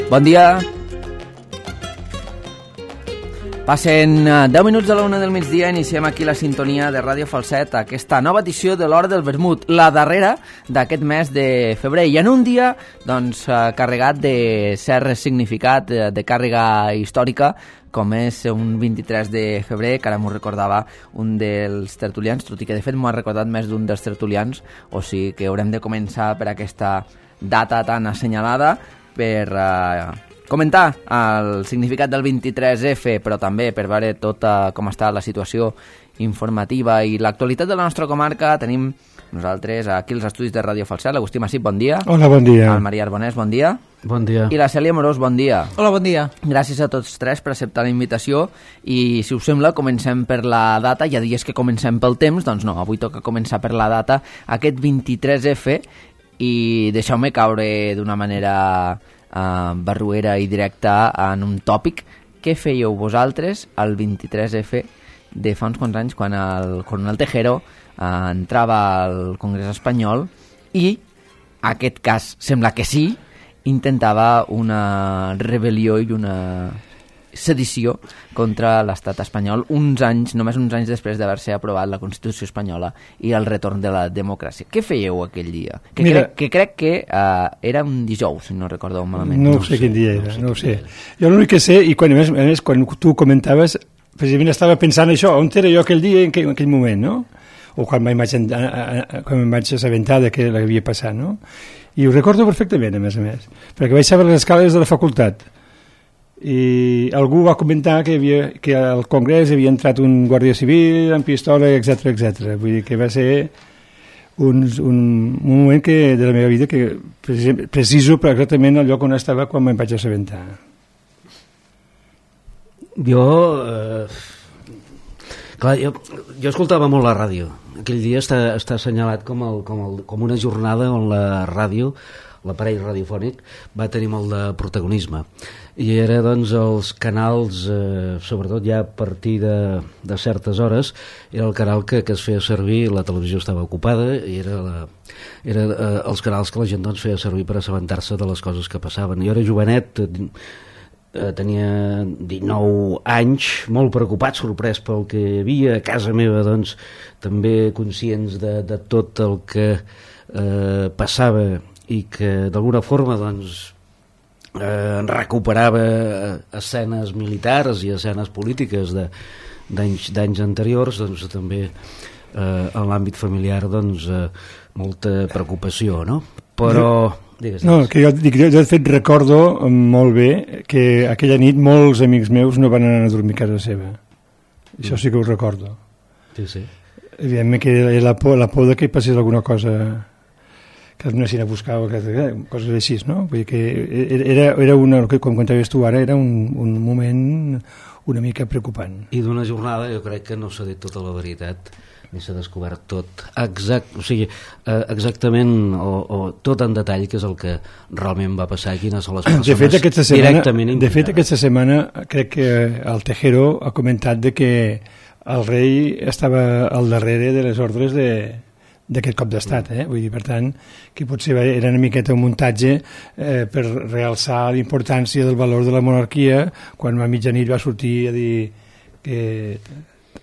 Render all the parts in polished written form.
Bon dia. Passen 10 minuts de la 1 del migdia, iniciem aquí la sintonia de Ràdio Falset, aquesta nova edició de l'Hora del Vermut, la darrera d'aquest mes de febrer, i en un dia doncs, carregat de cert significat, de càrrega històrica, com és un 23 de febrer, que ara m'ho recordava un dels tertulians, tot i que de fet m'ho ha recordat més d'un dels tertulians, o sigui que haurem de començar per aquesta data tan assenyalada, per comentar el significat del 23F, però també per veure tota com està la situació informativa i l'actualitat de la nostra comarca. Tenim nosaltres aquí els estudis de Ràdio Falset, l'Agustí Massip, bon dia. Hola, bon dia. El Maria Arbonès, bon dia. Bon dia. I la Cèlia Morós, bon dia. Hola, bon dia. Gràcies a tots tres per acceptar la invitació i, si us sembla, comencem per la data. Hi ha dies que comencem pel temps, doncs no, avui toca començar per la data, aquest 23F, i deixeu-me caure d'una manera barruera i directa en un tòpic. Què fèieu vosaltres el 23F de fa uns quants anys, quan el coronel Tejero entrava al Congrés espanyol i, en aquest cas sembla que sí, intentava una rebel·lió i una sedició contra l'estat espanyol només uns anys després d'haver-se aprovat la Constitució espanyola i el retorn de la democràcia. Què fèieu aquell dia? Crec que era un dijous, si no recordo malament. No sé quin dia era, no ho sé. Jo l'únic que sé, i a més quan tu comentaves, precisament estava pensant això, on era jo aquell dia, en aquell moment, no? O quan em vaig assabentar de què havia passat, no? I ho recordo perfectament, a més, perquè vaig saber les escales de la facultat i algú va comentar que al Congrés havia entrat un guàrdia civil amb pistola, etc. Vull dir que va ser un moment de la meva vida que preciso exactament el lloc on estava quan me'n vaig assabentar. Jo escoltava molt la ràdio. Aquell dia està assenyalat com una jornada on la ràdio, l'aparell radiofònic, va tenir molt de protagonisme. I era, doncs, els canals, sobretot ja a partir de certes hores, era el canal que es feia servir, la televisió estava ocupada, i era els canals que la gent doncs, feia servir per assabentar-se de les coses que passaven. Jo era jovenet, tenia 19 anys, molt preocupat, sorprès pel que hi havia a casa meva, doncs, també conscients de tot el que passava i que d'alguna forma doncs, recuperava escenes militars i escenes polítiques d'anys anteriors, doncs també en l'àmbit familiar doncs, molta preocupació, no? Però... No, que jo de fet recordo molt bé que aquella nit molts amics meus no van anar a dormir a casa seva. Això sí que ho recordo. Sí. Evidentment que era la por de que passés alguna cosa, que els anessin a buscar o coses així, no? Vull dir que era com comentaves tu ara, era un moment una mica preocupant. I d'una jornada jo crec que no s'ha dit tota la veritat, ni s'ha descobert tot exactament o tot en detall, que és el que realment va passar, quines són les persones directament implicades. De fet, aquesta setmana crec que el Tejero ha comentat de que el rei estava al darrere de les ordres d'aquest cop d'estat, vull dir, per tant, que potser era una miqueta un muntatge per realçar la importància del valor de la monarquia quan a mitjanit va sortir a dir que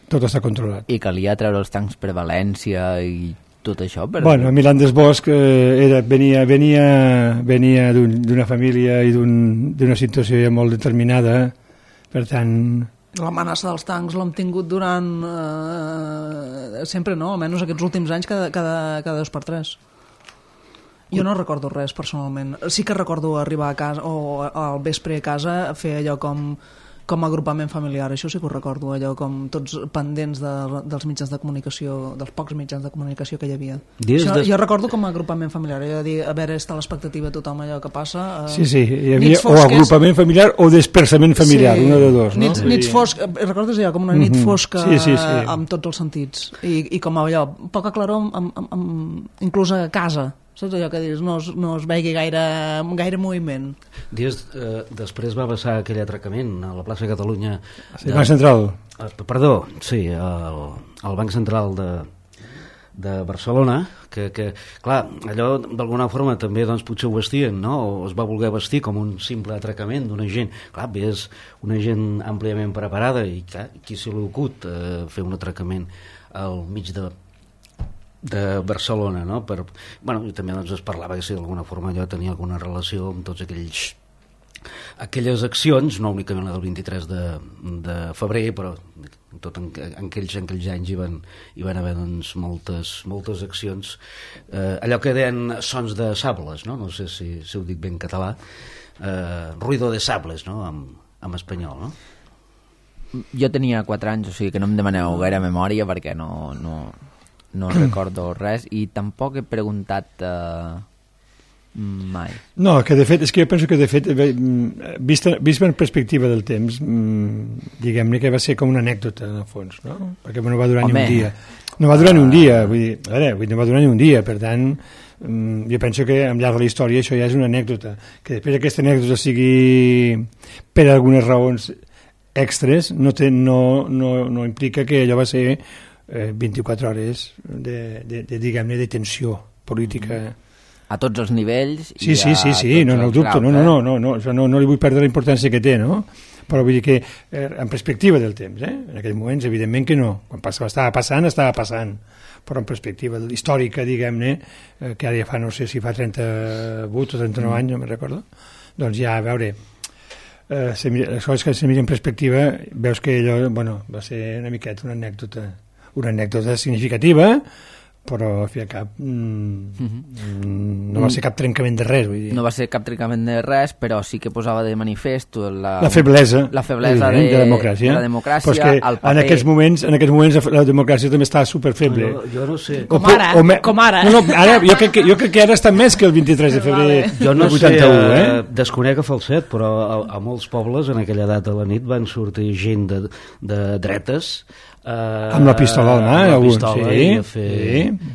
tot està controlat. I calia treure els tancs per València i tot això? Bueno, Milan des Bosch venia d'una família i d'una situació ja molt determinada, per tant... L'amenaça dels tancs l'hem tingut durant sempre, no? Almenys aquests últims anys, cada 2 per 3. Jo no recordo res personalment. Sí que recordo arribar a casa o al vespre a casa a fer allò com a agrupament familiar, això sí que ho recordo, allò com tots pendents dels mitjans de comunicació, dels pocs mitjans de comunicació que hi havia. Jo recordo com a agrupament familiar, allò de dir, a veure, està a l'expectativa tothom allò que passa. Sí, hi havia o agrupament familiar o dispersament familiar, una de dos, no? Nits fosques, recordes allò, com una nit fosca amb tots els sentits, i com allò, poca claror inclús a casa. Saps allò que dius? No es vegi gaire moviment. Dies després va passar aquell atracament a la plaça Catalunya. El Banc Central. Perdó, sí, el Banc Central de Barcelona, que clar, allò d'alguna forma també doncs, potser ho vestien, no? O es va voler vestir com un simple atracament d'una gent. Clar, és una gent àmpliament preparada i clar, qui se li ocut fer un atracament al mig de Barcelona, no? Bueno, i també doncs, es parlava que si d'alguna forma allò tenia alguna relació amb tots aquelles accions, no únicament la del 23 de febrer, però tot en aquells anys hi van haver doncs, moltes accions, allò que deien sons de sables, no sé si ho dic ben català, ruido de sables, no? en espanyol, no? Jo tenia 4 anys, o sigui que no em demaneu gaire memòria perquè no recordo res i tampoc he preguntat mai. No, que de fet, és que jo penso que de fet, vist en perspectiva del temps, diguem-ne que va ser com una anècdota, en el fons, no? Perquè no va durar ni un dia. No va durar ni un dia, vull dir, no va durar ni un dia, per tant, jo penso que al llarg de la història això ja és una anècdota. Que després aquesta anècdota sigui per algunes raons extres, no implica que allò va ser 24 hores diguem-ne, de tensió política. A tots els nivells. Sí, no ho dubto, no li vull perdre la importància que té, no? Però vull dir que en perspectiva del temps, en aquells moments evidentment que no, quan estava passant, però en perspectiva històrica, diguem-ne, que ara ja fa, no sé si fa 38 o 39 anys, no me'n recordo, doncs ja, a veure, les coses que se mira en perspectiva, veus que allò, va ser una miqueta una anècdota significativa, però al fi i al cap no va ser cap trencament de res, vull dir. No va ser cap trencament de res, però sí que posava de manifest la feblesa de la democràcia, el paper. En aquests moments la democràcia també està superfeble. Jo no sé. Com ara. No, ara, jo crec que ara està més que el 23 de febrer jo no del 81, desconec a falset, però a molts pobles en aquella data de la nit van sortir gent de dretes amb la pistola al mà,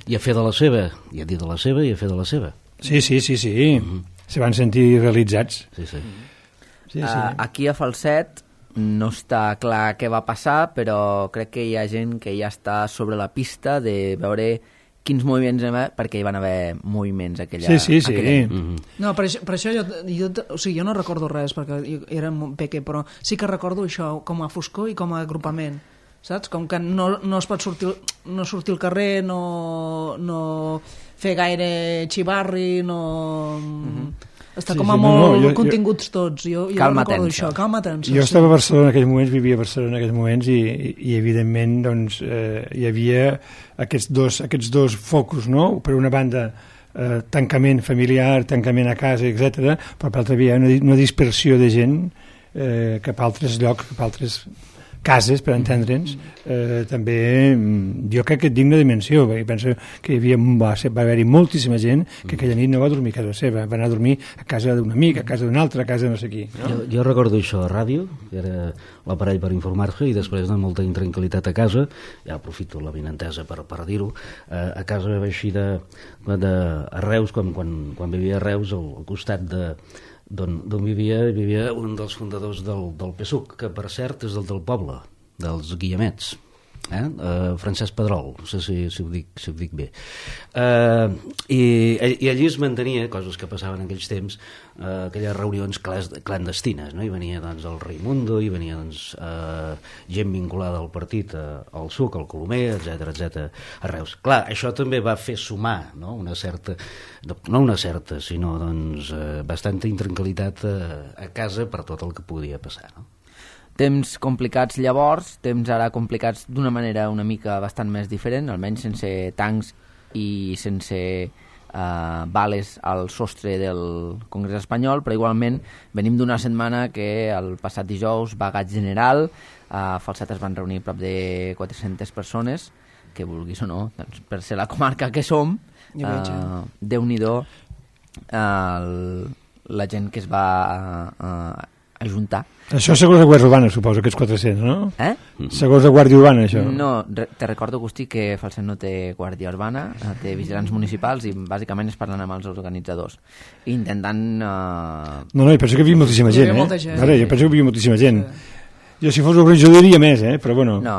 i a fer de la seva, i a dir de la seva i a fer de la seva. Sí. Se van sentir realitzats. Sí. Aquí a Falset no està clar què va passar, però crec que hi ha gent que ja està sobre la pista de veure quins moviments perquè hi van haver moviments aquella No, per això jo no recordo res perquè jo era peque, però sí que recordo això com a foscor i com a agrupament, saps? Com que no es pot sortir al carrer, no fer gaire xivarri, està com a molt continguts tots. Jo recordo això, calma tensa. Jo estava a Barcelona en aquells moments, vivia a Barcelona en aquells moments i evidentment doncs, hi havia aquests dos focus, no? Per una banda tancament familiar, tancament a casa, etc. però per l'altra via una dispersió de gent cap a altres llocs, cap a altres cases, per entendre'ns, també jo crec que és digne de menció, perquè penso que va haver-hi moltíssima gent que aquella nit no va dormir a casa seva, va anar a dormir a casa d'un amic, a casa d'un altre, a casa de no sé qui. No? Jo recordo això a ràdio, que era l'aparell per informar-se, i després de molta intranquil·litat a casa, ja aprofito la vinentesa per dir-ho, a casa meva així a Reus, quan vivia a Reus, al costat d'on vivia un dels fundadors del PSUC, que per cert és del poble, dels Guillemets, Francesc Pedrol, no sé si ho dic bé. I allí es mantenia, coses que passaven en aquells temps, aquelles reunions clandestines, no? Hi venia doncs, el Raimundo, hi venia doncs, gent vinculada al partit, al SUC, al Colomer, etc a Reus. Clar, això també va fer sumar, no? Sinó doncs, bastanta intranquil·litat a casa per tot el que podia passar, no? Temps complicats llavors, temps ara complicats d'una manera una mica bastant més diferent, almenys sense tancs i sense bales al sostre del Congrés espanyol, però igualment venim d'una setmana que el passat dijous, vagat general, a Falset es van reunir prop de 400 persones, que vulguis o no, doncs, per ser la comarca que som, Déu-n'hi-do la gent que es va ajuntar. Això segons la Guàrdia Urbana, suposo, aquests 400, no? Segons la Guàrdia Urbana, això. No, te recordo, Agustí, que Falset no té Guàrdia Urbana, té vigilants municipals i bàsicament es parlen amb els organitzadors. Intentant... No, jo penso que hi havia moltíssima gent, molta gent. Ara, jo penso que hi havia moltíssima gent. Jo, si fos organitzador, diria més, però bueno... No,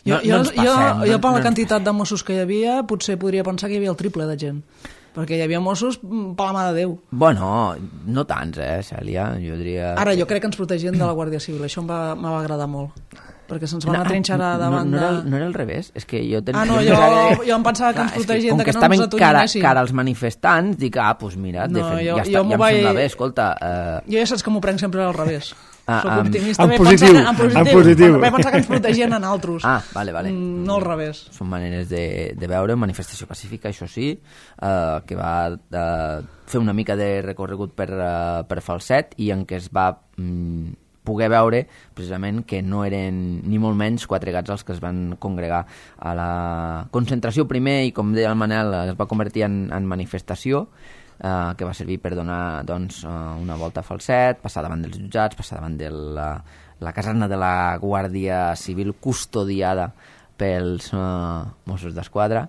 No ens passem. Jo per la quantitat de Mossos que hi havia, potser podria pensar que hi havia el triple de gent. Perquè hi havia Mossos per la mà de Déu. Bueno, no tants, Cèlia? Jo diria... Ara, jo crec que ens protegien de la Guàrdia Civil. Això em va agradar molt. Perquè se'ns van atrinxerar davant de... No era al revés? És que jo... jo em pensava que ens protegien de que no ens atonyinessin. Cara als manifestants, dic, doncs mira, ja em sembla bé, escolta... Jo ja saps que m'ho prenc sempre al revés. Soc optimista. En positiu. Vaig pensar que ens protegien en altres. Vale. No al revés. Són maneres de veure, manifestació pacífica, això sí, que va fer una mica de recorregut per Falset i en què es va poder veure precisament que no eren ni molt menys 4 gats els que es van congregar a la concentració primer i, com deia el Manel, es va convertir en manifestació, que va servir per donar una volta a Falset, passar davant dels jutjats, passar davant de la caserna de la Guàrdia Civil custodiada pels Mossos d'Esquadra.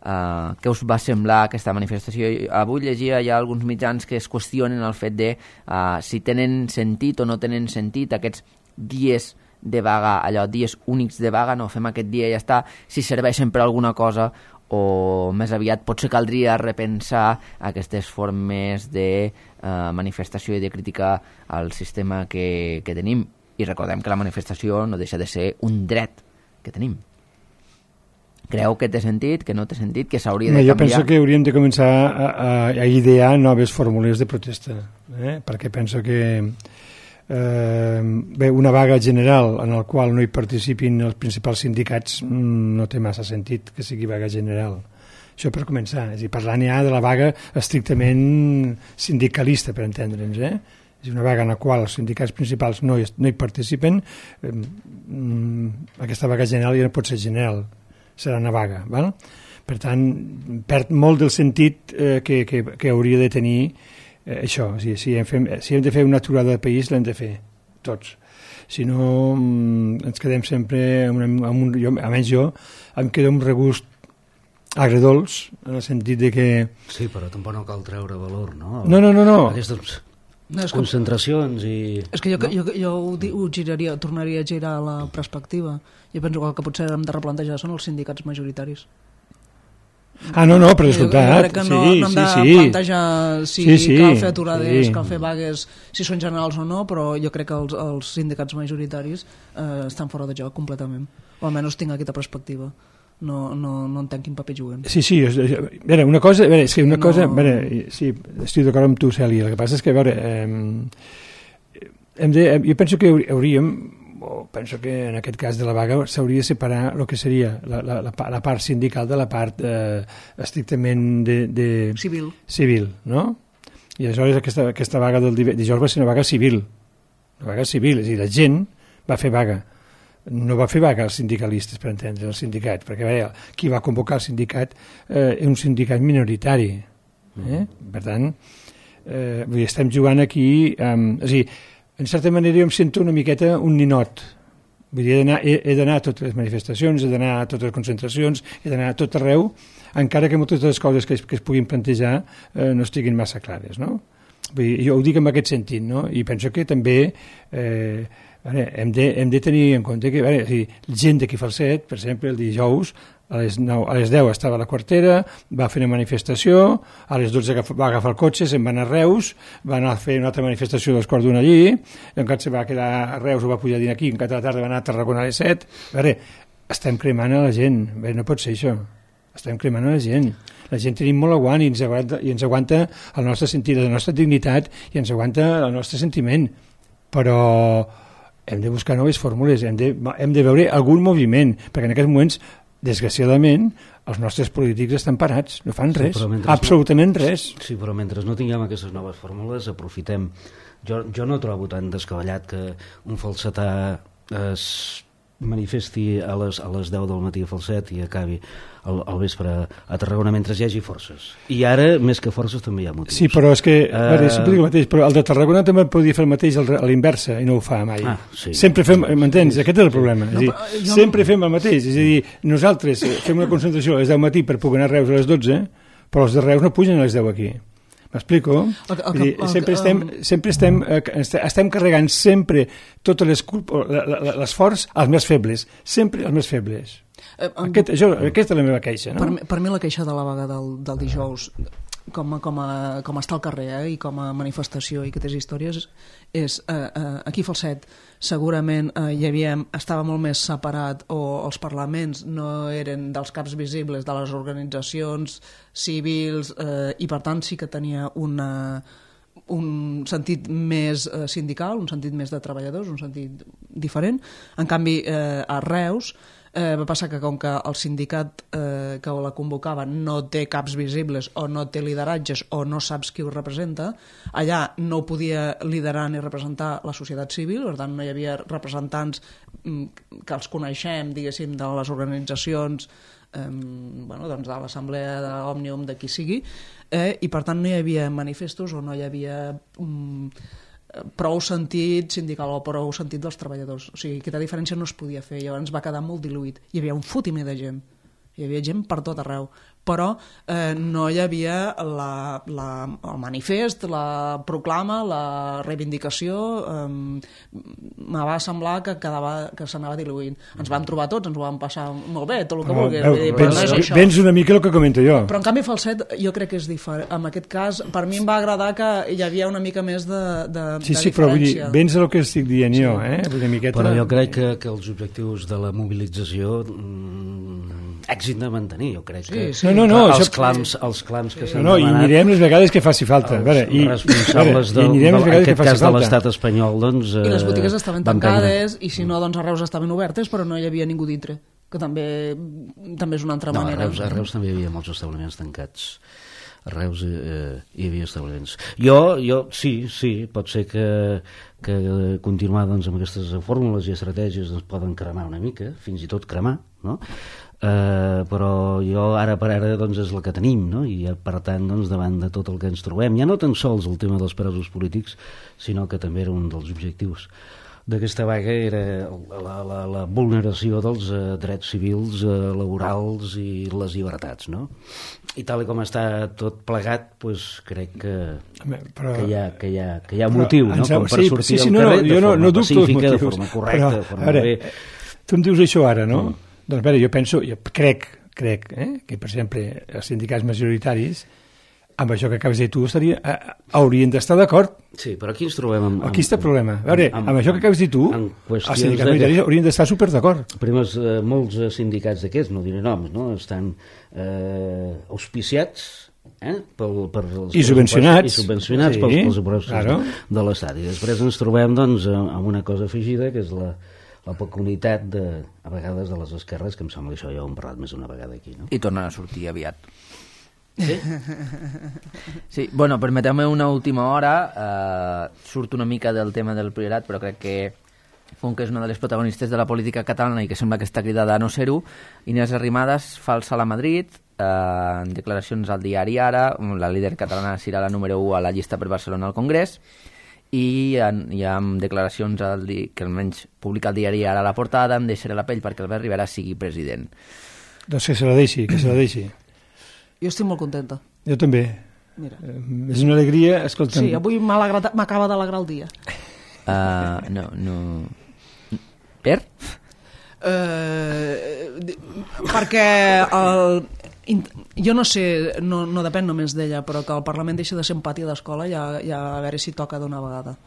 Què us va semblar aquesta manifestació? Avui llegia ja alguns mitjans que es qüestionen el fet de si tenen sentit o no tenen sentit aquests dies de vaga, dies únics de vaga, no fem aquest dia i ja està, si serveixen per alguna cosa o més aviat potser caldria repensar aquestes formes de manifestació i de crítica al sistema que tenim. I recordem que la manifestació no deixa de ser un dret que tenim. Creu que té sentit, que no té sentit, que s'hauria de canviar? Jo penso que hauríem de començar a idear noves fórmules de protesta, perquè penso que una vaga general en la qual no hi participin els principals sindicats no té massa sentit que sigui vaga general. Això per començar. És a dir, parlant ja de la vaga estrictament sindicalista, per entendre'ns, És una vaga en la qual els sindicats principals no hi participen. Aquesta vaga general ja no pot ser general, serà una vaga. Val? Per tant, perd molt del sentit que hauria de tenir això. Si hem de fer una aturada de país, l'hem de fer tots. Si no, ens quedem sempre almenys jo em quedo amb regust agredolç, en el sentit de que... Sí, però tampoc no cal treure valor, no? No. Aquestes concentracions i... És que jo ho giraria, tornaria a girar la perspectiva. Jo penso que el que potser hem de replantejar són els sindicats majoritaris. No, però escolta... Jo crec que no hem de plantejar si cal fer aturades, cal fer vagues, si són generals o no, però jo crec que els sindicats majoritaris estan fora de joc completament. O almenys tinc aquesta perspectiva. No entenc quin paper juguen. Sí, una cosa... Sí, estic d'acord amb tu, Cèlia. El que passa és que, jo penso que hauríem, penso que en aquest cas de la vaga s'hauria de separar el que seria la part sindical de la part estrictament civil, no? I aleshores aquesta vaga del dijous va ser una vaga civil, és a dir, la gent va fer vaga, no va fer vaga els sindicalistes, per entendre, el sindicat, perquè qui va convocar el sindicat és un sindicat minoritari, per tant estem jugant aquí, és a dir, en certa manera jo em sento una miqueta un ninot. Vull dir, he d'anar a totes les manifestacions, he d'anar a totes les concentracions, he d'anar a tot arreu, encara que moltes de les coses que es puguin plantejar no estiguin massa clares, no? Vull dir, jo ho dic en aquest sentit, no? I penso que també hem de tenir en compte que gent d'aquí Falset, per exemple, el dijous a les 10 estava a la Quartera, va fer una manifestació, a les 12 va agafar el cotxe, se'n va anar a Reus, va anar a fer una altra manifestació dels quarts d'una allí, i encara se va quedar a Reus, ho va pujar a aquí, encara a la tarda va anar a Tarragona a les 7. Estem cremant a la gent, no pot ser això, estem cremant a la gent. La gent tenim molt aguant i ens aguanta el nostre sentit, la nostra dignitat i ens aguanta el nostre sentiment, però hem de buscar noves fórmules, hem de veure algun moviment, perquè en aquests moments desgraciadament, els nostres polítics estan parats, no fan res, absolutament res. Sí, però mentre no tinguem aquestes noves fórmules, aprofitem. Jo no trobo tan descabellat que un falsetà es manifesti a les 10 del matí a Falset i acabi al vespre a Tarragona mentre hi hagi forces. I ara, més que forces, també hi ha motius. Sí, però és que, sempre dic el mateix, però el de Tarragona també podia fer el mateix a l'inversa i no ho fa mai. Sí. Sempre fem, m'entens? Aquest és el problema. Sempre fem el mateix. És a dir, nosaltres fem una concentració a les 10 del matí per poder anar a Reus a les 12, però els de Reus no pugen a les 10 aquí. M'explico? Sempre estem carregant sempre totes les l'esforç als més febles, sempre als més febles. Aquesta és la meva queixa, no? Per mi la queixa de la vaga del dijous, com està al carrer i com a manifestació i aquestes històries, és aquí a Falset segurament estava molt més separat, o els parlaments no eren dels caps visibles de les organitzacions civils, i per tant sí que tenia un sentit més sindical, un sentit més de treballadors, un sentit diferent. En canvi, a Reus va passar que com que el sindicat que la convocava no té caps visibles o no té lideratges o no saps qui ho representa, allà no podia liderar ni representar la societat civil, per tant no hi havia representants que els coneixem, diguéssim, de les organitzacions, doncs de l'assemblea d'Òmnium, de qui sigui, i per tant no hi havia manifestos o no hi havia prou sentit sindical o prou sentit dels treballadors. O sigui, aquesta diferència no es podia fer, llavors va quedar molt diluït. Hi havia un fotimer de gent, hi havia gent per tot arreu, però no hi havia el manifest, la proclama, la reivindicació. Me va semblar que s'anava diluint. Ens vam trobar tots, ens ho vam passar molt bé, tot el que vulguis. Vens una mica el que comento jo. Però en canvi Falset jo crec que és diferent. En aquest cas, per mi em va agradar que hi havia una mica més de diferència. Sí, però vull dir, vens el que estic dient jo, una miqueta. Però jo crec que els objectius de la mobilització èxit de mantenir, jo crec que els clams que s'han demanat, i anirem les vegades que faci falta, els responsables d'aquest cas de l'estat espanyol, doncs, i les botigues estaven tancades, i si no, doncs a Reus estaven obertes, però no hi havia ningú dintre, que també és una altra manera. A Reus també hi havia molts establiments tancats. A Reus hi havia establiments. Jo sí, pot ser que continuar doncs, amb aquestes fórmules i estratègies doncs, poden cremar una mica, fins i tot cremar, no? Però jo ara per ara doncs, és la que tenim, no? I per tant doncs, davant de tot el que ens trobem, ja no tan sols el tema dels presos polítics, sinó que també era un dels objectius d'aquesta vaga, era la vulneració dels drets civils, laborals i les llibertats, no? I tal com està tot plegat, doncs crec que hi ha motiu, no? Com per sortir al carrer de forma pacífica, de forma correcta, de forma bé. Tu em dius això ara, no? Doncs bé, jo crec que, per exemple, els sindicats majoritaris, amb això que acabes de dir tu, haurien d'estar d'acord. Sí, però aquí ens trobem aquí està el problema. A veure, amb això que acabes de dir tu, els sindicats majoritaris haurien d'estar super d'acord. Primers, molts sindicats d'aquests, no diré noms, no? Estan auspiciats i subvencionats pels pressupostos de l'Estat. I després ens trobem doncs, amb una cosa afegida, que és la peculiaritat a vegades de les esquerres, que em sembla que això ja ho hem parlat més una vegada aquí, no? I tornen a sortir aviat. Sí? Sí, bueno, permeteu-me una última hora, surt una mica del tema del Priorat, però crec que com que és una de les protagonistes de la política catalana i que sembla que està cridada a no ser-ho, Inés Arrimadas fa el salt a Madrid, en declaracions al diari Ara, la líder catalana serà la número 1 a la llista per Barcelona al Congrés, i hi ha declaracions que almenys publica el diari Ara a la portada, em deixaré la pell perquè Albert Rivera sigui president. Doncs que se la deixi. Jo estic molt contenta. Jo també. Mira. És una alegria, escolta'm. Sí, avui m'acaba d'alegrar el dia. No. Per? Perquè jo no sé, no depèn només d'ella, però que el Parlament deixa de ser un pati d'escola ja a veure si toca d'una vegada.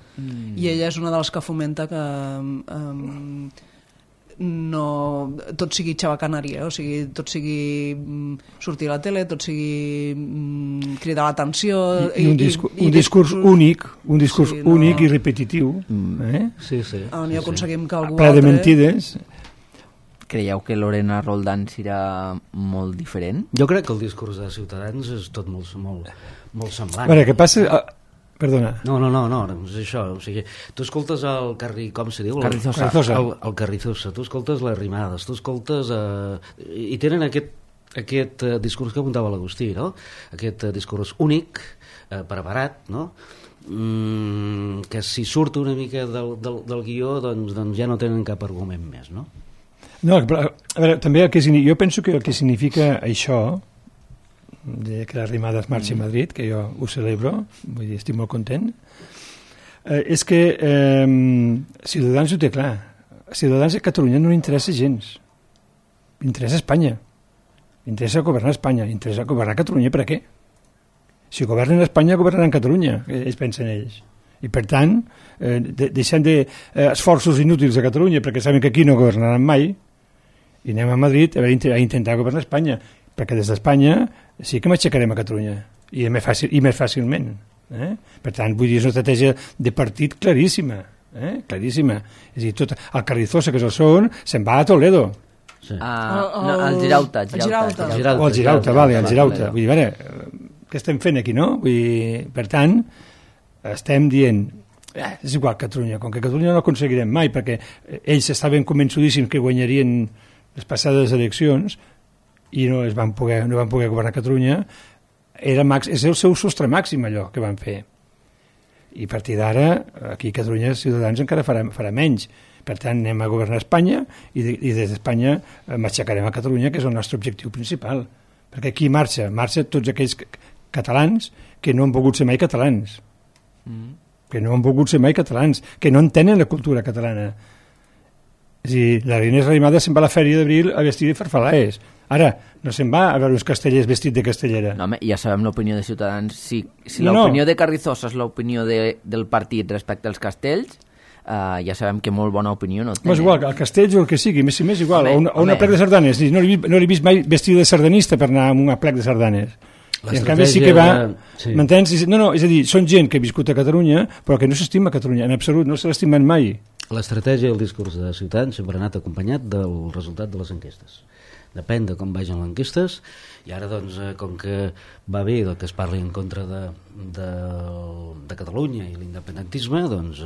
I ella és una de les que fomenta que no tot sigui xabacaneria, o sigui, tot sigui sortir a la tele, tot sigui cridar l'atenció i un discurs únic i repetitiu. Sí. On hi aconseguim que algú ple de mentides. Creieu que Lorena Roldán serà molt diferent? Jo crec que el discurs de Ciutadans és tot molt semblant. A veure, què passa... Perdona. No, és això. O sigui, tu escoltes el com se diu? Carrizosa. El Carrizosa. Tu escoltes les Arrimadas, tu escoltes... I tenen aquest discurs que apuntava l'Agustí, no? Aquest discurs únic, preparat, no? Que si surt una mica del guió, doncs ja no tenen cap argument més, no? No, però, a veure, també jo penso que el que significa això, que l'Arrimada es marxi a Madrid, que jo ho celebro, vull dir, estic molt content, és que Ciutadans ho té clar. A Ciutadans a Catalunya no li interessa gens. Li interessa Espanya. Li interessa governar Espanya. Li interessa governar Catalunya per a què? Si governen Espanya, governaran Catalunya, ells pensen ells. I per tant, deixem d'esforços inútils a Catalunya, perquè saben que aquí no governaran mai, i anem a Madrid a intentar governar Espanya, perquè des d'Espanya sí que m'aixecarem a Catalunya, i més fàcilment. Per tant, vull dir, és una estratègia de partit claríssima, claríssima. És a dir, tot el Carrizosa, que és el segon, se'n va a Toledo. Sí. No, el Girauta. O el Girauta, vale, el Girauta. Vull dir, a veure, què estem fent aquí, no? Vull dir, per tant, estem dient, és igual Catalunya, com que Catalunya no aconseguirem mai, perquè ells estaven convençudíssims que guanyarien les passades eleccions i no van poder governar Catalunya, és el seu sostre màxim allò que van fer. I a partir d'ara, aquí a Catalunya, Ciutadans encara farà menys. Per tant, anem a governar Espanya i des d'Espanya m'aixecarem a Catalunya, que és el nostre objectiu principal. Perquè aquí marxa tots aquells catalans que no han volgut ser mai catalans. Que no han volgut ser mai catalans, que no entenen la cultura catalana. És a dir, la Inés Arrimadas se'n va a la Fèria d'Abril a vestir de farfalaes. Ara, no se'n va a veure uns castellers vestit de castellera. No, home, ja sabem l'opinió de Ciutadans. Si l'opinió de Carrizosa és l'opinió del partit respecte als castells, ja sabem que molt bona opinió no tenen. És igual, el castells o el que sigui, més igual, o una plec de sardanes. No l'he vist mai vestit de sardanista per anar a una plec de sardanes. I en canvi sí que va... Sí. M'entens? No, és a dir, són gent que ha viscut a Catalunya, però que no s'estima a Catalunya, en absolut, no se l'estimen mai. L'estratègia i el discurs de Ciutadans sempre ha anat acompanyat del resultat de les enquestes. Depèn de com vagin les enquestes, i ara, doncs, com que va bé que es parli en contra de Catalunya i l'independentisme, doncs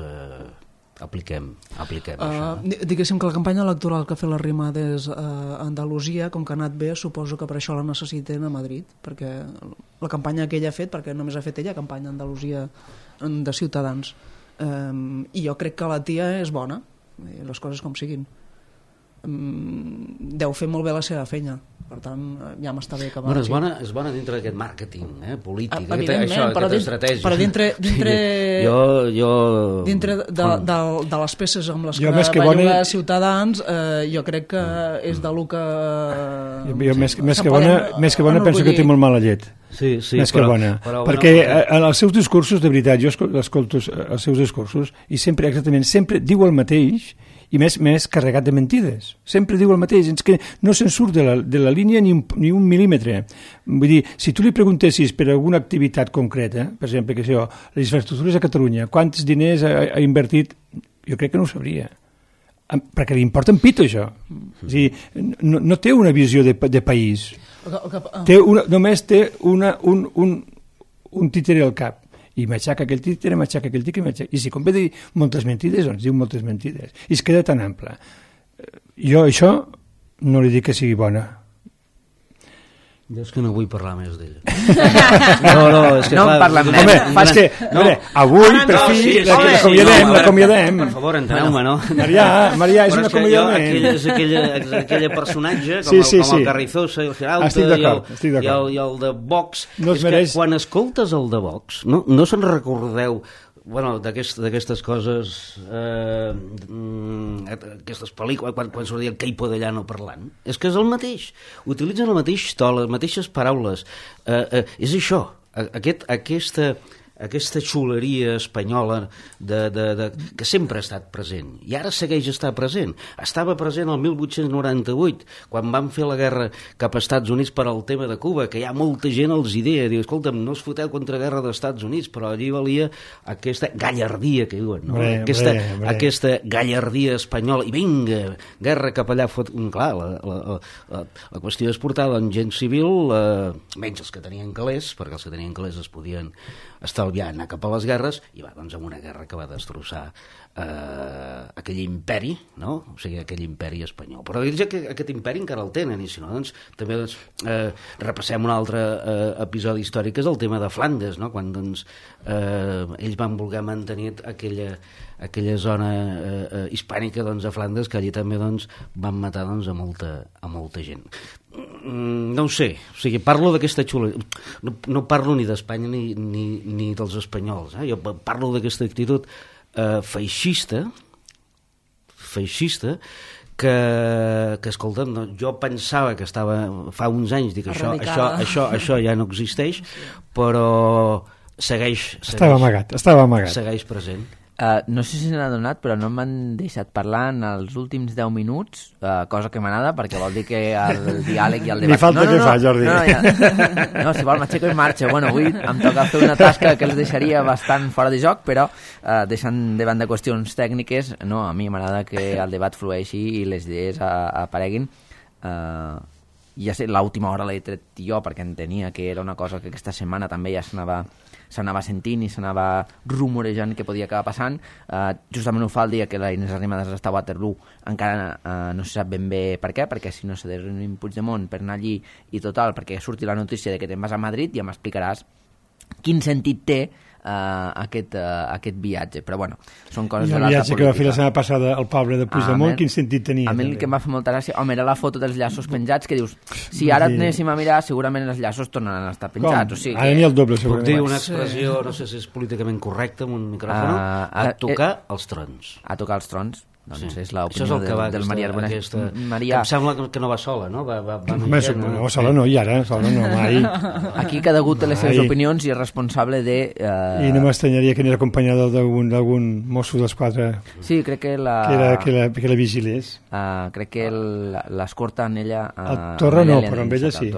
apliquem això. Diguéssim que la campanya electoral que ha fet l'Arrimades a Andalusia, com que ha anat bé, suposo que per això la necessiten a Madrid, perquè la campanya que ella ha fet, perquè només ha fet ella campanya a Andalusia de Ciutadans, i jo crec que la tia és bona, les coses com siguin. Deu fer molt bé la seva feina, per tant ja m'està bé que va. Bueno, és bona dintre d'aquest màrquting polític, evidentment, però dintre de les peces amb les que va jugar Ciutadans, jo crec que és de lo que jo més que bona penso que té molt mala llet. Sí, més que bona, perquè els seus discursos, de veritat, jo escolto els seus discursos i sempre diu el mateix, i més carregat de mentides. Sempre diu el mateix, és que no se'n surt de la línia ni un mil·límetre. Vull dir, si tu li preguntessis per alguna activitat concreta, per exemple, que això, les infraestructures a Catalunya, quants diners ha invertit, jo crec que no ho sabria. Perquè li importa un pito, això. És a dir, no té una visió de país. Només té un títere al cap. I m'aixaca aquell títere, i si convé dir moltes mentides, doncs diu moltes mentides. I es queda tan ample. Jo això no li dic que sigui bona. Jo és que no vull parlar més d'ella. És que no en parlem més. Home, és que avui, per fi, l'acomiadem. Per favor, enteneu-me, no? Maria, és un acomiadament. És aquell personatge, com el Carrizosa i el Girauta i el de Vox. És que quan escoltes el de Vox, no se'n recordeu d'aquestes coses, aquestes pel·lícules, quan sortia el Queipo de Llano parlant, és que és el mateix, utilitzen el mateix to, les mateixes paraules, és això, aquesta xuleria espanyola que sempre ha estat present i ara segueix estar present. Estava present el 1898 quan van fer la guerra cap als Estats Units per al tema de Cuba, que hi ha molta gent els idea, diu, escolta'm, no us foteu contra guerra dels Estats Units, però allí valia aquesta gallardia que diuen, no? Aquesta gallardia espanyola, i vinga, guerra cap allà. Clar, la qüestió és portar gent civil, menys els que tenien calés, perquè els que tenien calés es podien estalviar anar cap a les guerres, i va, doncs, amb una guerra que va destrossar aquell imperi, no? O sigui, aquell imperi espanyol. Però ells aquest imperi encara el tenen, i si no, doncs, també repassem un altre episodi històric, que és el tema de Flandes, no? Quan, doncs, ells van voler mantenir aquella zona hispànica, doncs, a Flandes, que allí també, doncs, van matar, doncs, a molta gent. No ho sé, o sigui, parlo d'aquesta no parlo ni d'Espanya ni dels espanyols, jo parlo d'aquesta actitud feixista que escolta'm, jo pensava que estava fa uns anys, dic, això ja no existeix, però segueix estava amagat. Segueix present. No sé si se n'ha donat, però no m'han deixat parlar en els últims 10 minuts, cosa que m'agrada, perquè vol dir que el diàleg i el debat... Li falta què fa, Jordi. No, si vol m'aixeco i marxo. Bueno, avui em toca fer una tasca que els deixaria bastant fora de joc, però deixant de banda qüestions tècniques, no, a mi m'agrada que el debat flueixi i les idees apareguin. Ja sé, l'última hora l'he tret jo, perquè entenia que era una cosa que aquesta setmana també ja s'anava sentint i s'anava rumorejant que podia acabar passant. Justament ho fa el dia que la Inés Arrimadas està a Waterloo, encara no se sap ben bé per què, perquè si no se desreunint Puigdemont per anar allí i total, perquè surti la notícia de que te'n vas a Madrid, ja m'explicaràs quin sentit té aquest viatge, però bueno, són coses de l'alta política. El viatge que va fer la setmana passada al poble de Puigdemont, quin sentit tenia? A mi el que em va fer molta gràcia, era la foto dels llaços penjats, que dius, si ara anéssim a mirar, segurament els llaços tornaran a estar penjats. O sigui, ara n'hi ha el doble, segurament. Puc dir una expressió, no sé si és políticament correcta, amb un micròfon, a tocar els trons. A tocar els trons. Doncs és això és el que va del Maria Arbonès. Maria... Em sembla que no va sola, no? No va sola, no, i ara, sola no, mai. Aquí cada hagut té les seves opinions i és responsable de... I no m'estranyaria que anés acompanyada d'algun mosso d'esquadra. Sí, crec que que la vigilés. Crec que l'escorta en ella... Al Torra no, però amb ella sí.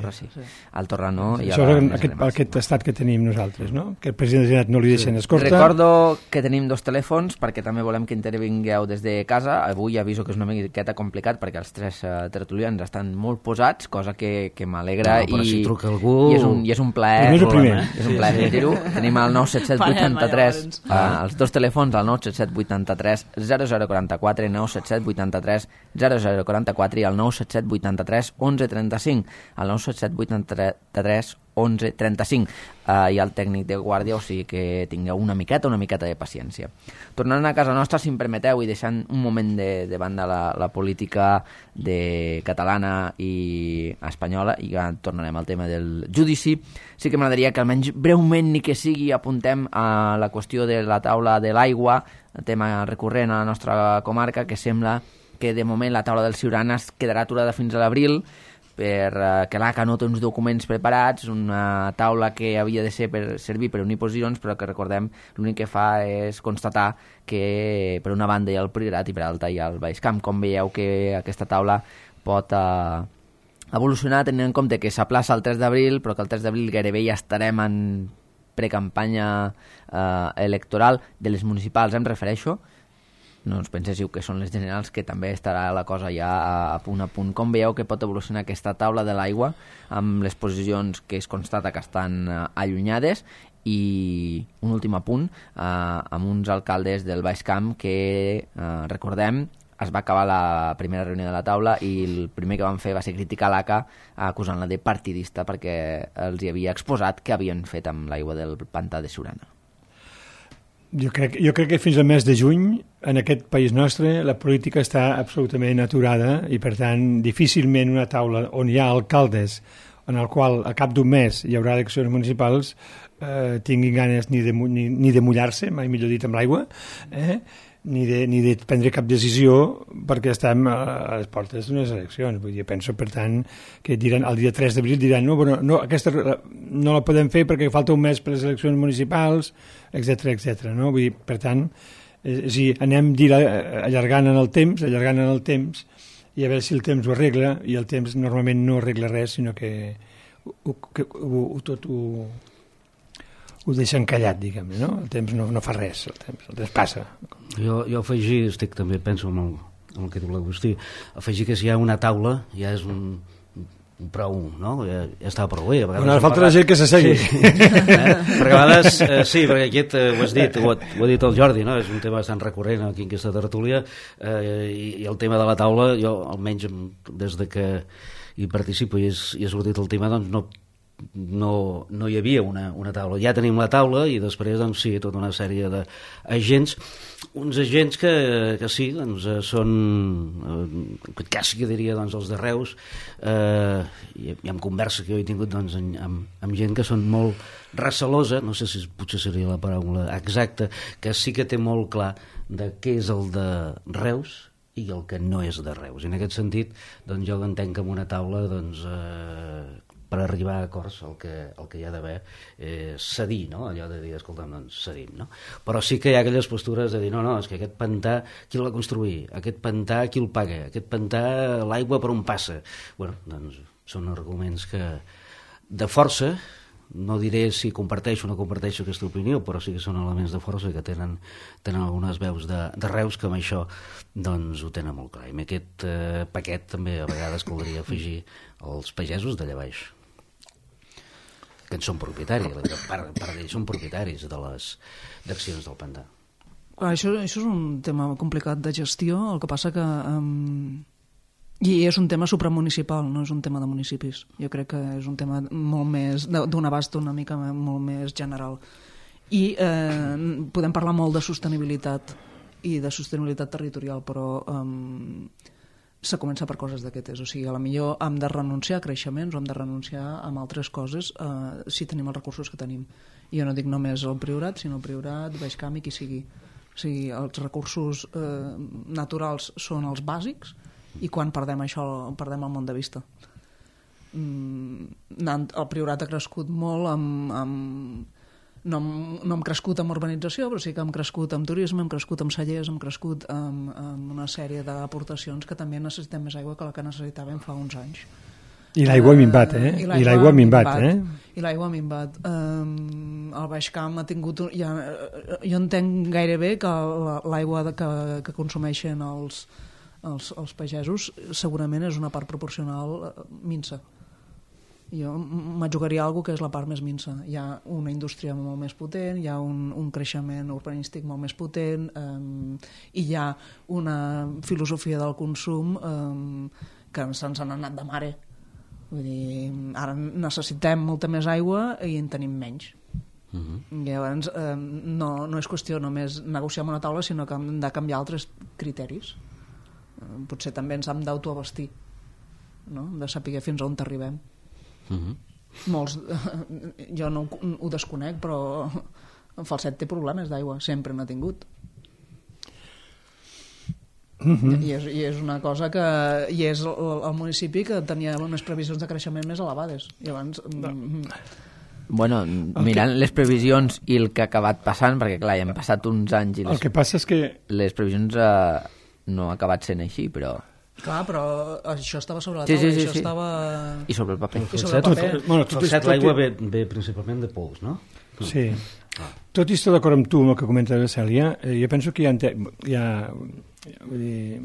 Al Torra no. Això és aquest estat que tenim nosaltres, no? Que el president de la Generalitat no li deixen escorta. Recordo que tenim 2 telèfons, perquè també volem que intervingueu des de casa. Avui aviso que és una miqueta complicat perquè els 3 tertulians estan molt posats, cosa que m'alegra però si truca algú... i és un plaer. És un plaer sentir-ho. Tenim el 97783 els 2 telèfons, el 97783 0044 97783 0044 i el 97783 1135 el 97783 11.35 hi ha el tècnic de guàrdia, o sigui que tingueu una miqueta de paciència. Tornant a casa nostra, si em permeteu, i deixant un moment de banda la política catalana i espanyola, i ja tornarem al tema del judici, sí que m'agradaria que almenys breument ni que sigui apuntem a la qüestió de la taula de l'aigua, tema recurrent a la nostra comarca, que sembla que de moment la taula del Siurana es quedarà aturada fins a l'abril, perquè l'ACA no té uns documents preparats, una taula que havia de servir per unir posicions, però que recordem l'únic que fa és constatar que per una banda hi ha el Priorat i per l'altra hi ha el Baix Camp. Com veieu que aquesta taula pot evolucionar tenint en compte que s'aplaça el 3 d'abril, però que el 3 d'abril gairebé ja estarem en precampanya electoral de les municipals, em refereixo. No us penséssiu que són les generals, que també estarà la cosa ja a punt. Com veieu que pot evolucionar aquesta taula de l'aigua amb les posicions que es constata que estan allunyades? I un últim apunt, amb uns alcaldes del Baix Camp que, recordem, es va acabar la primera reunió de la taula i el primer que van fer va ser criticar l'ACA acusant-la de partidista perquè els hi havia exposat què havien fet amb l'aigua del pantà de Siurana. Jo crec que fins al mes de juny en aquest país nostre la política està absolutament aturada i per tant difícilment una taula on hi ha alcaldes en el qual a cap d'un mes hi haurà eleccions municipals tinguin ganes ni de mullar-se, mai millor dit, amb l'aigua, ni de prendre cap decisió perquè estem a les portes d'unes eleccions. Vull dir, penso, per tant, que diran, el dia 3 d'abril diran no, aquesta no la podem fer perquè falta un mes per les eleccions municipals, etc. No? Vull dir, per tant, anem allargant en el temps i a veure si el temps ho arregla, i el temps normalment no arregla res, sinó que tot ho deixa encallat, diguem-ne, no? El temps no fa res, el temps passa. Jo afegir, penso amb el que diu l'Agustí, afegir que si hi ha una taula ja és un prou, no? Ja està prou bé. Ara falta la gent que s'assegui. Sí. Perquè a vegades, sí, perquè aquest ho has dit, ho ha dit el Jordi, no? És un tema bastant recurrent aquí en aquesta tertúlia, i el tema de la taula, jo almenys des de que hi participo i ha sortit el tema, doncs no hi havia una taula. Ja tenim la taula i després doncs, sí, tota una sèrie d'agents, uns agents que sí, doncs, són en aquest cas que diria doncs, els de Reus, i amb conversa que jo he tingut doncs, amb gent que són molt recelosa, no sé si potser seria la paraula exacta, que sí que té molt clar de què és el de Reus i el que no és de Reus. I en aquest sentit, doncs, jo entenc que en una taula doncs, per arribar a acords el que hi ha d'haver cedir, no? Allò de dir, escolta'm, doncs cedim, no? Però sí que hi ha aquelles postures de dir, no, és que aquest pantà qui el va construir? Aquest pantà qui el paga? Aquest pantà l'aigua per on passa? Bueno, doncs són arguments que de força, no diré si comparteixo o no comparteixo aquesta opinió, però sí que són elements de força que tenen algunes veus de Reus que amb això doncs ho tenen molt clar. I amb aquest paquet també a vegades caldria afegir els pagesos d'allà baix, que en són propietaris, part d'ells són propietaris de les accions del pantà. Això és un tema complicat de gestió, el que passa que i és un tema supramunicipal, no és un tema de municipis. Jo crec que és un tema molt més d'un abast una mica molt més general. I podem parlar molt de sostenibilitat i de sostenibilitat territorial, però se comença per coses d'aquestes. O sigui, a la millor hem de renunciar a creixements o hem de renunciar a altres coses si tenim els recursos que tenim. I jo no dic només el Priorat, sinó el Priorat, Baixcamp i qui sigui. O sigui, els recursos naturals són els bàsics i quan perdem això, perdem el món de vista. El Priorat ha crescut molt no hem crescut amb urbanització, però sí que hem crescut amb turisme, hem crescut amb cellers, hem crescut amb una sèrie d'aportacions que també necessitem més aigua que la que necessitàvem fa uns anys. I l'aigua ha minvat, I l'aigua ha minvat, I l'aigua ha minvat. El Baixcamp ha tingut... Jo entenc gairebé que l'aigua que consumeixen els pagesos segurament és una part proporcional minsa. Jo m'ajugaria a alguna que és la part més minsa. Hi ha una indústria molt més potent, hi ha un creixement urbanístic molt més potent, i hi ha una filosofia del consum que se'ns ha anat de mare. Vull dir, ara necessitem molta més aigua i en tenim menys. Llavors no és qüestió només negociar amb una taula, sinó que hem de canviar altres criteris. Potser també ens hem d'autoabastir, no? De saber fins on arribem. Molts, jo no ho desconec, però Falset té problemes d'aigua, sempre n'ha tingut. I és una cosa que i és el municipi que tenia unes previsions de creixement més elevades. Llavors Bueno, mirant les previsions i el que ha acabat passant, perquè clar, ja han passat uns anys i el que passa és que les previsions no ha acabat sent així, però... Clar, però això estava sobre la taula, això estava... I sobre el paper. I sobre el paper. Falset, l'aigua ve principalment de pous, no? Sí. Tot i estar d'acord amb tu, amb el que comenta la Cèlia, jo penso que hi ha vull dir,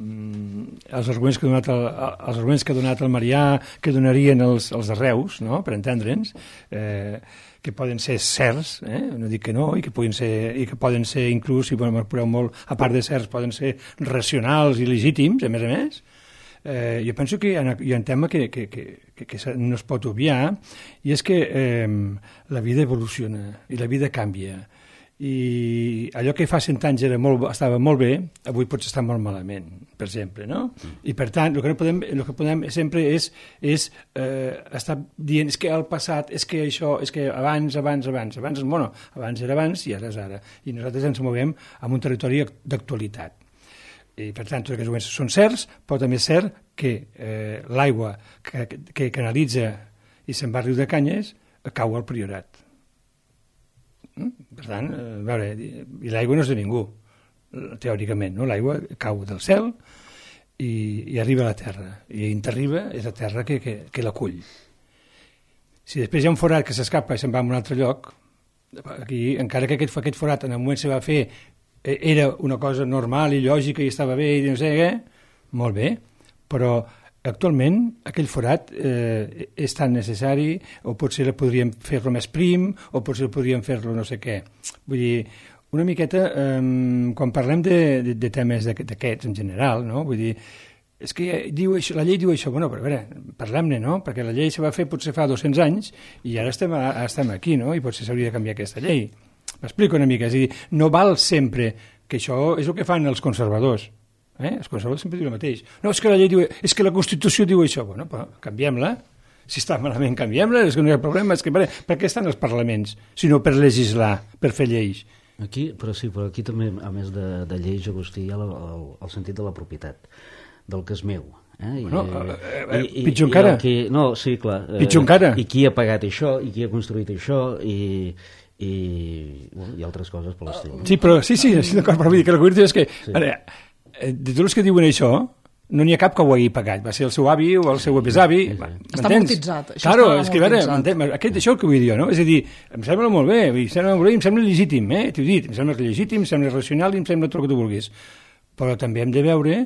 els arguments que ha donat el Marià, que donarien els de Reus, no? Per entendre'ns, que poden ser certs, no dic que no, i que poden ser inclús, si m'apureu molt, a part de certs, poden ser racionals i legítims, a més. Jo penso que hi ha un tema que no es pot obviar, i és que la vida evoluciona i la vida canvia. I allò que fa 100 anys estava molt bé, avui pot estar molt malament, per exemple, no? I per tant, el que podem sempre és estar dient és que el passat, és que això, és que abans, bueno, abans era abans i ara és ara. I nosaltres ens movem en un territori d'actualitat. I per tant, tots aquests moments són certs, però també és cert que l'aigua que canalitza i se'n va a Riu de Canyes cau al Priorat. Per tant, a veure, i l'aigua no és de ningú, teòricament, no? L'aigua cau del cel i arriba a la terra, i on arriba és la terra que l'acull. Si després hi ha un forat que s'escapa i se'n va a un altre lloc, aquí, encara que aquest forat en el moment se va fer era una cosa normal i lògica i estava bé i no sé què, molt bé, però actualment aquell forat és tan necessari, o potser podríem fer-lo més prim, o potser podríem fer-lo no sé què. Vull dir, una miqueta, quan parlem de temes d'aquests en general, no? Vull dir, és que diu això, la llei diu això, bueno, però a veure, parlem-ne, no? Perquè la llei se va fer potser fa 200 anys i ara estem aquí, no? I potser s'hauria de canviar aquesta llei. M'explico una mica, és a dir, no val sempre que això és el que fan els conservadors. Els conservadors sempre diuen el mateix. No, és que la llei diu, és que la Constitució diu això. Bueno, però canviem-la. Si està malament, canviem-la, és que no hi ha problema. És que, per què estan els parlaments? Si no per legislar, per fer lleis. Aquí, però aquí també, a més de lleis, Agustí, hi ha el sentit de la propietat, del que és meu. Pitjor encara. Sí, clar. Pitjor encara. I qui ha pagat això, i qui ha construït això, i altres coses per l'estil. Sí, però sí, d'acord, però vull dir que la veritat és que, de tots els que diuen això, no n'hi ha cap que ho hagi pagat. Va ser el seu avi o el seu besavi. Està amortitzat. Claro, és que això és el que vull dir, no? És a dir, em sembla molt bé, i em sembla legítim, t'ho he dit, em sembla legítim, em sembla racional i em sembla tot el que tu vulguis. Però també hem de veure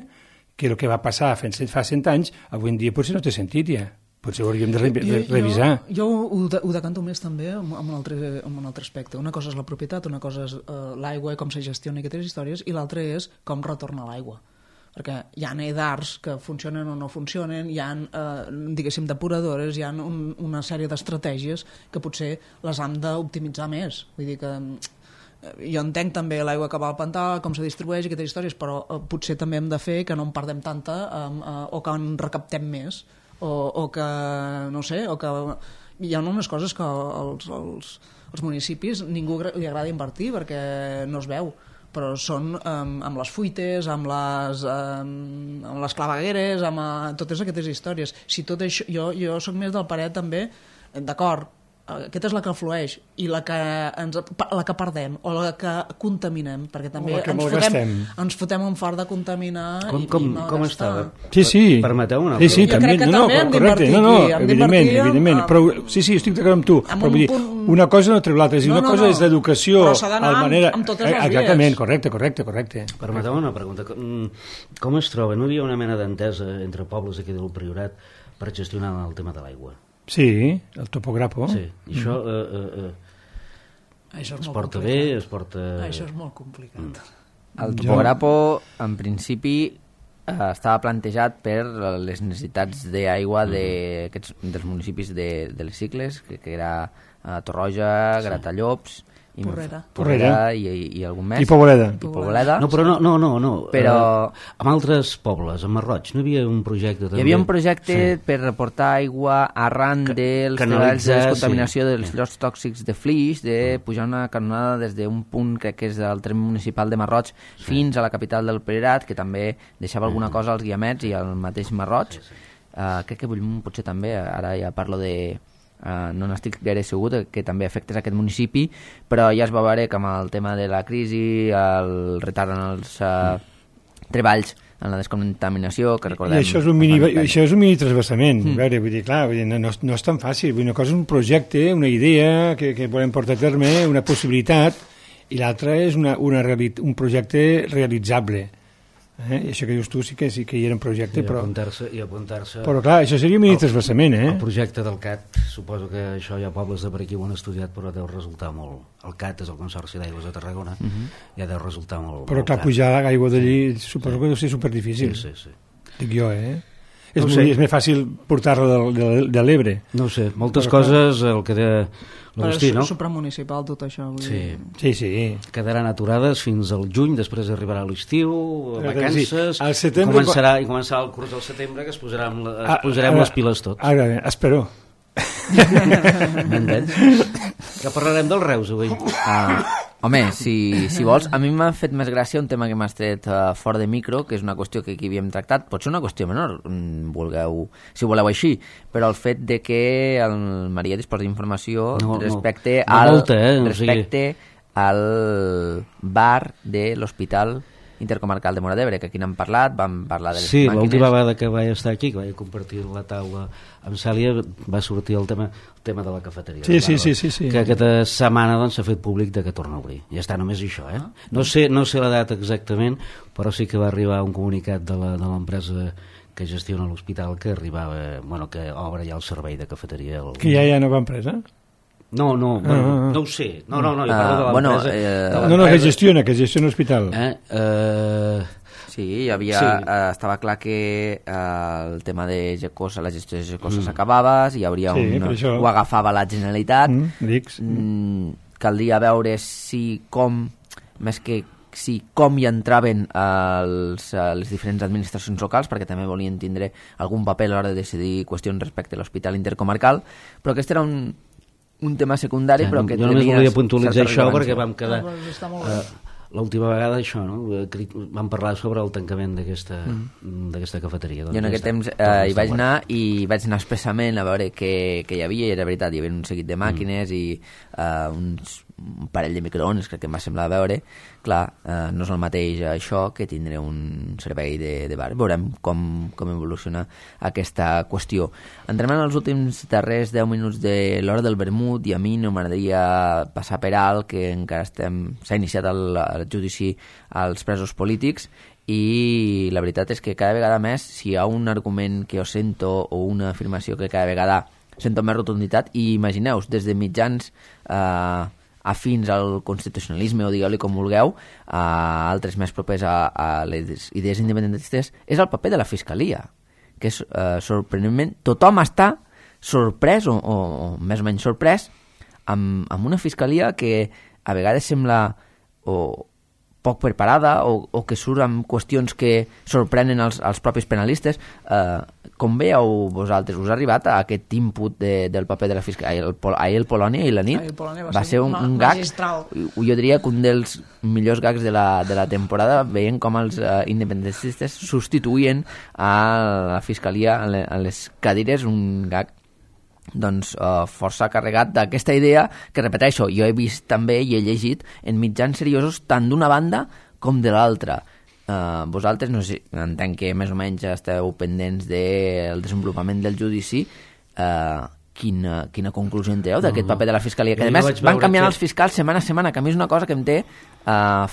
que el que va passar fa 100 anys, avui en dia potser no té sentit ja. Potser ho hauríem de revisar. Jo ho decanto més també amb un altre aspecte. Una cosa és la propietat, una cosa és l'aigua i com se gestiona i aquestes històries, i l'altra és com retorna l'aigua. Perquè hi ha edars que funcionen o no funcionen, hi ha, diguéssim, depuradores, hi ha una sèrie d'estratègies que potser les han d'optimitzar més. Vull dir que jo entenc també l'aigua que va al pantà, com se distribueix i aquestes històries, però potser també hem de fer que no en perdem tanta o que en recaptem més o que, no sé, o que hi ha unes coses que als municipis ningú li agrada invertir perquè no es veu, però són amb les fuites, amb les clavegueres, amb totes aquestes històries. Si tot això, jo soc més del parer també, d'acord, aquesta és la que flueix i la que perdem o la que contaminem, perquè també ens fotem un fart de contaminar com estava? Sí. Permeteu una cosa? Sí, també hem d'invertir evidentment. Però sí, estic d'acord amb tu, però vull dir, una cosa no treu l'altra, una cosa és l'educació, però s'ha d'anar amb totes les vies. Exactament, correcte. Permeteu una pregunta, com es troba? No hi havia una mena d'entesa entre pobles aquí del Priorat per gestionar el tema de l'aigua? Sí, el topograpo. Sí, i això es porta bé, es porta... Això és molt complicat. El topograpo, en principi, estava plantejat per les necessitats d'aigua dels municipis de les Cicles, que era Torroja, Gratallops, Porrera i algun més. I Poboleda. No, però no. Però amb altres pobles, amb Marroig, no hi havia un projecte també? Hi havia un projecte per reportar aigua arran dels treballs de descontaminació dels llocs tòxics de Flix, de pujar una canonada des d'un punt, crec que és del tren municipal de Marroig, fins a la capital del Priorat, que també deixava alguna cosa als Guiamets i al mateix Marroig. Crec que Bullmunt potser també, ara ja parlo de... no n'estic gaire segur que també afectés aquest municipi, però ja es va veure que amb el tema de la crisi, el retard en els treballs en la descontaminació, que recordem... I això és un mini transversament. A veure, vull dir, clar, no és tan fàcil. Una cosa és un projecte, una idea que volem portar a terme, una possibilitat, i l'altra és un projecte realitzable. I això que dius tu sí que hi era un projecte, però... I apuntar-se... Però clar, això seria un mini transversament, El projecte del CAT, suposo que això hi ha pobles de per aquí ho han estudiat, però deu resultar molt... El CAT és el Consorci d'Aigües de Tarragona, ja deu resultar molt... Però clar, pujar l'aigua d'allí suposo que deu ser superdifícil. Sí. Dic jo, És més fàcil portar-la de l'Ebre. No ho sé, moltes coses, el que de... Però és supramunicipal tot això. Sí. Quedaran aturades fins al juny, després arribarà l'estiu, vacances, i començarà el curs del setembre, que es posarem les piles tots. Ara, espero. M'entens? Que parlarem dels Reus avui. Home, si vols, a mi m'ha fet més gràcia un tema que m'has tret fora de micro, que és una qüestió que aquí havíem tractat, pot ser una qüestió menor, si ho voleu així, però el fet de que el Maria disposa d'informació respecte al bar de l'Hospital Intercomarcal de Móra d'Ebre, que aquí n'hem parlat, vam parlar de les màquines. Sí, l'última vegada que vaig estar aquí, que vaig compartir la taula amb Cèlia, va sortir el tema de la cafeteria. Sí. Que aquesta setmana s'ha fet públic que torna a obrir. Ja està, només això, No sé la data exactament, però sí que va arribar un comunicat de l'empresa que gestiona l'hospital que arribava, que obre ja el servei de cafeteria. Que ja hi ha nova empresa? No ho sé. No, jo parlo de l'empresa. Que gestiona l'hospital. Sí, hi havia, estava clar que el tema de Gecosa, la gestió de Gecosa s'acabava, hi hauria ho agafava la Generalitat. Caldria veure com hi entraven les diferents administracions locals, perquè també volien tindre algun paper a l'hora de decidir qüestions respecte a l'hospital intercomarcal, però aquest era un tema secundari, però que jo només volia puntualitzar això perquè vam quedar... L'última vegada això, no? Vam parlar sobre el tancament d'aquesta cafeteria. Jo en aquest temps hi vaig anar i vaig anar expressament a veure què hi havia, i era veritat, hi havia un seguit de màquines i un parell de microones, crec que em va semblar veure. Clar, no és el mateix això que tindre un servei de bar. Veurem com evoluciona aquesta qüestió. Entrem en els últims darrers 10 minuts de l'hora del vermut, i a mi no m'agradaria passar per alt que encara s'ha iniciat el judici als presos polítics, i la veritat és que cada vegada més, si hi ha un argument que jo sento o una afirmació que cada vegada sento més rotunditat, i imagineu-vos, des de mitjans afins al constitucionalisme, o digueu-li com vulgueu, a altres més propers a les idees independentistes, és el paper de la Fiscalia, que és sorprenentment... Tothom està sorprès, o més o menys sorprès, amb una Fiscalia que a vegades sembla poc preparada, o que surt amb qüestions que sorprenen els propis penalistes. Com veieu vosaltres? Us ha arribat aquest input del paper de la Fiscalia? Ahir el Polònia i la nit va ser un gag, jo diria que un dels millors gags de la temporada, veient com els independentistes substituïen a la Fiscalia a les cadires, un gag força carregat d'aquesta idea que, repeteixo, jo he vist també i he llegit en mitjans seriosos tant d'una banda com de l'altra. Vosaltres, no sé, entenc que més o menys esteu pendents del desenvolupament del judici. Quina conclusió en treu d'aquest paper de la Fiscalia? Que a més van canviant els fiscals setmana a setmana, que a mi és una cosa que em té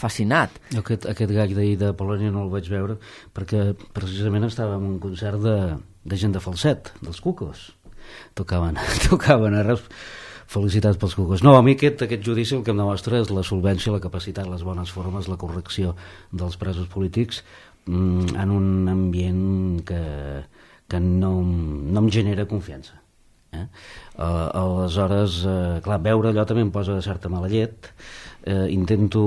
fascinat. Aquest gag d'ahir de Polònia no el vaig veure perquè precisament estava en un concert de gent de falset, dels Cucos. Tocaven a res. Felicitats pels Cucos. No, a mi aquest judici el que em demostra és la solvència, la capacitat, les bones formes, la correcció dels presos polítics en un ambient que no em genera confiança. Aleshores, clar, veure allò també em posa de certa mala llet. Intento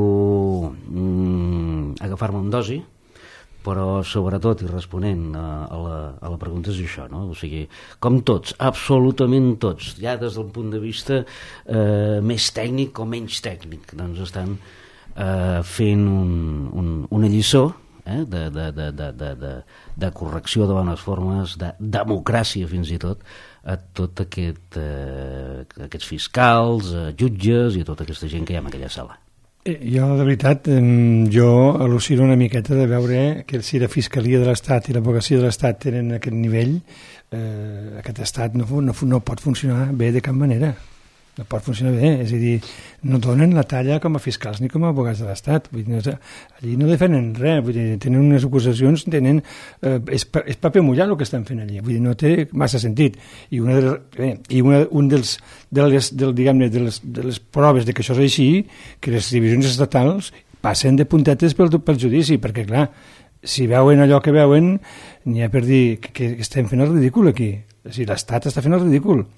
agafar-me amb dosi, però sobretot, i responent a la pregunta, és això, no? O sigui, com tots, absolutament tots, ja des del punt de vista més tècnic o menys tècnic, doncs estan fent una lliçó de correcció de bones formes, de democràcia fins i tot, a tot aquests fiscals, jutges i a tota aquesta gent que hi ha en aquella sala. Jo, de veritat, jo al·lucino una miqueta de veure que si la Fiscalia de l'Estat i l'Advocacia de l'Estat tenen aquest nivell, aquest Estat no pot funcionar bé de cap manera. No pot funcionar bé, és a dir, no donen la talla com a fiscals ni com a advocats de l'Estat. Allí no defenen res, vull dir, tenen unes acusacions, és paper mullat el que estan fent allí, vull dir, no té massa sentit. I un de les proves de que això és així, que les divisions estatals passen de puntetes pel judici, perquè clar, si veuen allò que veuen, n'hi ha per dir que estem fent el ridícul aquí. És a dir, l'Estat està fent el ridícul.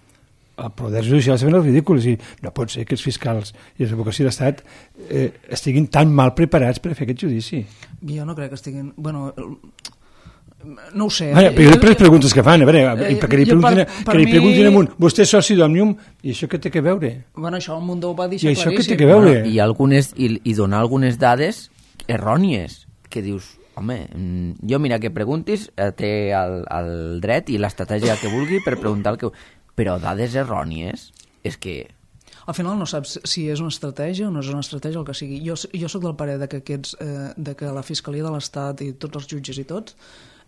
El poder judicial està fent el ridícul. No pot ser que els fiscals i les advocacies de l'Estat estiguin tan mal preparats per fer aquest judici. Jo no crec que estiguin... Bueno, no ho sé. Però les preguntes que fan, perquè li preguntin a un, vostè és soci d'Òmnium, i això què té que veure? Bueno, això el Mundo ho va deixar claríssim. I això què té que veure? I donar algunes dades errònies, que dius, home, jo mira que preguntis, té el dret i l'estratègia que vulgui per preguntar el que... Però dades errònies, és que... Al final no saps si és una estratègia o no és una estratègia, el que sigui. Jo soc del parer de que la Fiscalia de l'Estat i tots els jutges i tots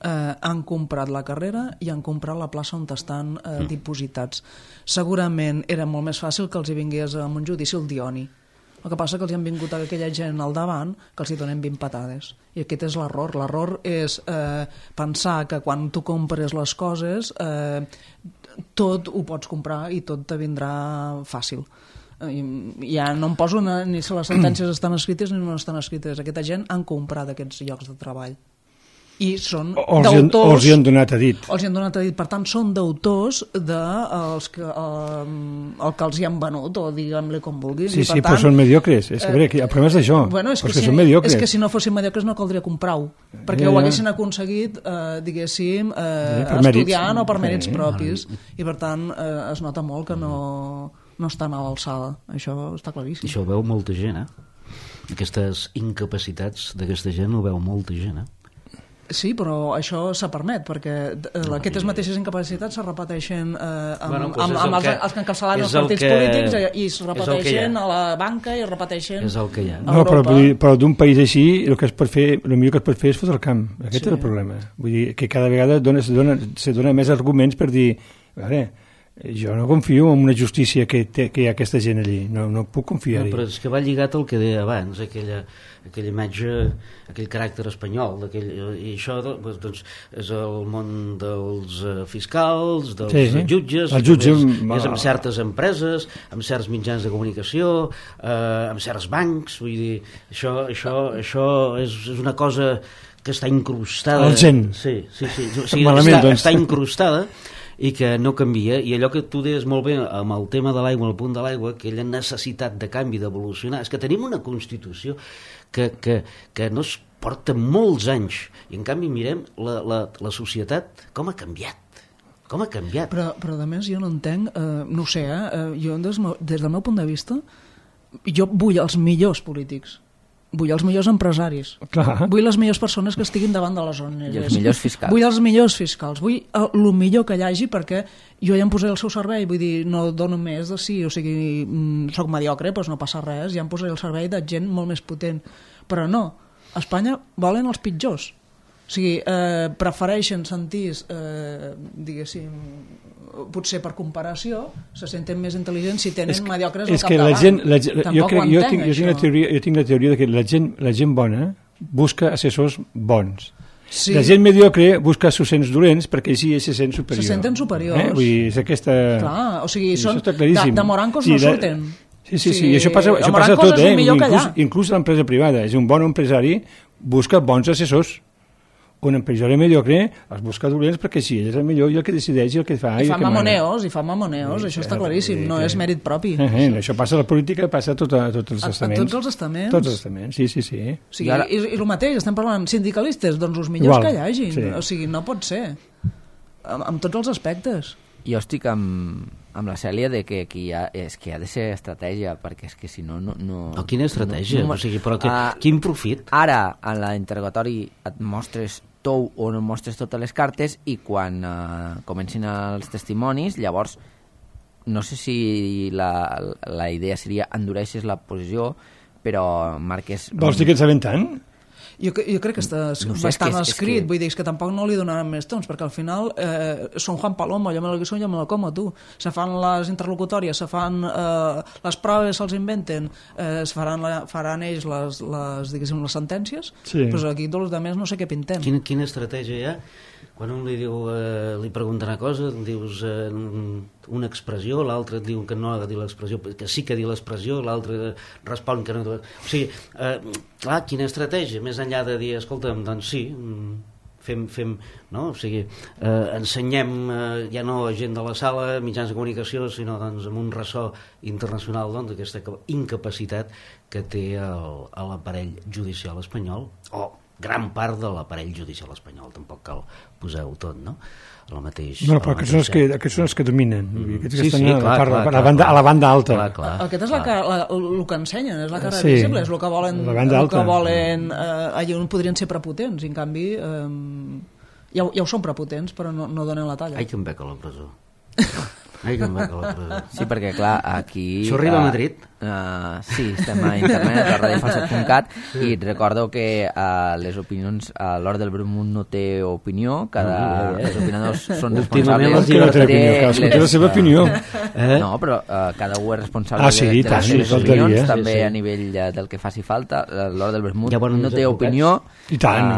han comprat la carrera i han comprat la plaça on estan dipositats. Segurament era molt més fàcil que els hi vingués a un judici el Dioni. El que passa que els hi han vingut aquella gent al davant que els hi donen 20 patades. I aquest és l'error. L'error és pensar que quan tu compres les coses tot ho pots comprar i tot te vindrà fàcil. Ja no em poso ni si les sentències estan escrites ni no estan escrites. Aquesta gent han comprat aquests llocs de treball. I són d'autors... O els hi han donat a dit. Els hi han donat a dit. Per tant, són d'autors el que els hi han venut, o diguem-li com vulguis. Sí, però són mediocres. És que, el problema és d'això, perquè són mediocres. És que si no fossin mediocres no caldria comprar-ho, perquè ho haguessin aconseguit, diguéssim, estudiant o per mèrits propis. I, per tant, es nota molt que no estan a l'alçada. Això està claríssim. Això ho veu molta gent, Aquestes incapacitats d'aquesta gent ho veu molta gent, Sí, però això s'ha permet, perquè aquestes mateixes incapacitats se repeteixen amb els que encapçalaven els partits polítics i es repeteixen a la banca i es repeteixen és el que hi ha. No, però d'un país així el millor que es pot fer és fotre el camp. Aquest és el problema. Vull dir que cada vegada se dona més arguments per dir, jo no confio en una justícia que hi ha aquesta gent allí, no puc confiar-hi. Però és que va lligat al que deia abans, aquella imatge, aquell caràcter espanyol, i això doncs, és el món dels fiscals, dels jutges, és amb certes empreses, amb certs mitjans de comunicació, amb certs bancs, vull dir, això és una cosa que està incrustada. El gent. Sí, està incrustada, i que no canvia, i allò que tu deies molt bé amb el tema de l'aigua, el punt de l'aigua, aquella necessitat de canvi, d'evolucionar, és que tenim una Constitució que no es porta molts anys, i en canvi mirem la societat com ha canviat. Però a més jo no entenc, no ho sé, jo des del meu punt de vista, jo vull els millors polítics, vull els millors empresaris. Clar. Vull les millors persones que estiguin davant de les ONGs. I els millors fiscals. Vull els millors fiscals. Vull el millor que hi hagi, perquè jo ja em posaré al seu servei. Vull dir, no dono més de sí, o sigui, soc mediocre, doncs no passa res, ja em posaré al servei de gent molt més potent. Però no, a Espanya volen els pitjors. O sigui, prefereixen sentir, diguéssim, potser per comparació, se senten més intel·ligents si tenen mediocres al capdavant. Jo tinc la teoria que la gent bona busca assessors bons. Sí. La gent mediocre busca assessors dolents perquè així se sent superior. Se senten superiors. Vull dir, és aquesta... Clar, o sigui, de morancos no surten. Sí, i això passa a tot, inclús a l'empresa privada. És un bon empresari, busca bons assessors. Un empresari mediocre els busca dolents perquè sí, ell és el millor i el que decideix i el que fa. I fa mamoneos, això està claríssim, no és mèrit propi. Això passa a la política, passa a tots els estaments. A tots els estaments? Tots els estaments, sí. O sigui, i el mateix, estem parlant sindicalistes, doncs els millors que hi hagin. O sigui, no pot ser. Amb tots els aspectes. Jo estic amb la Cèlia de que aquí ha de ser estratègia, perquè és que si no... Quina estratègia? O sigui, però quin profit? Ara, en l'interrogatori et mostres tou o no mostres totes les cartes i quan comencin els testimonis, llavors no sé si la idea seria endureixes la posició, però marques... Vols dir que ets aventant? Jo crec que està bastant escrit, vull dir que tampoc no li donaran més temps, perquè al final són Juan Palomo, jo me la como, tu. Se fan les interlocutòries, se fan les proves, se'ls inventen, faran ells les sentències, però aquí tots els altres no sé què pintem. Quina estratègia hi ha? Quan un li pregunta una cosa, dius una expressió, l'altre et diu que no ha de dir l'expressió, que sí que ha de dir l'expressió, l'altre respon que no... O sigui, clar, quina estratègia? Més enllà de dir, escolta'm, doncs sí, fem no? O sigui, ensenyem ja no a gent de la sala, mitjans de comunicació, sinó doncs, amb un ressò internacional d'aquesta incapacitat que té l'aparell judicial espanyol, o gran part de l'aparell judicial espanyol, tampoc cal posar-ho tot, no? El mateix... No, però aquests són els que dominen. Aquests que estan a la banda alta. Aquest és el que ensenyen, és la cara visible, és el que volen allà on podrien ser prepotents, i en canvi ja ho són prepotents, però no donen la talla. Ai, que em bec a la presó. Sí, perquè clar, aquí... Això arriba a Madrid? Sí, estem a internet, a radiofalset.cat, i recordo que les opinions, l'Hora del Vermut no té opinió, els opinadors són responsables de la seva opinió. No, però cada un és responsable de les seves opinions, també a nivell del que faci falta. L'Hora del Vermut no té opinió. I tant,